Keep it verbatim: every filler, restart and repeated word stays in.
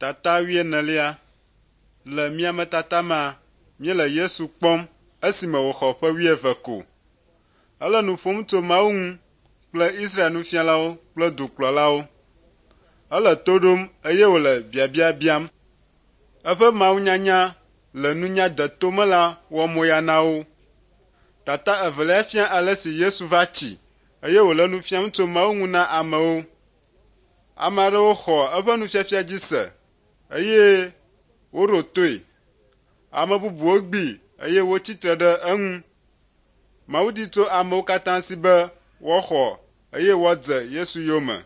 Tata wuienelia. Le miametata mea, míele Yesu kpɔm esime wòxɔ ƒe wuieve ko. Ele nu ƒom tso Mawu ŋu kple Israel nufialawo kple dukplɔlawo. Ele to ɖom eye wòle biabia biam. Eƒe mawunyanya le nunya deto me la wɔ moya na wo. Tata evelia fia ale si Yesu va tsi eye wòle nu fiam tso Mawu ŋu na amewo. Ame aɖewo xɔ eƒe nufiafia dzi se eye woɖo toe. Ame bubuwo gbee eye wotsi tre ɖe eŋu. Mawu di tso amewo katã si be woaxɔ eye woadze Yesu yome.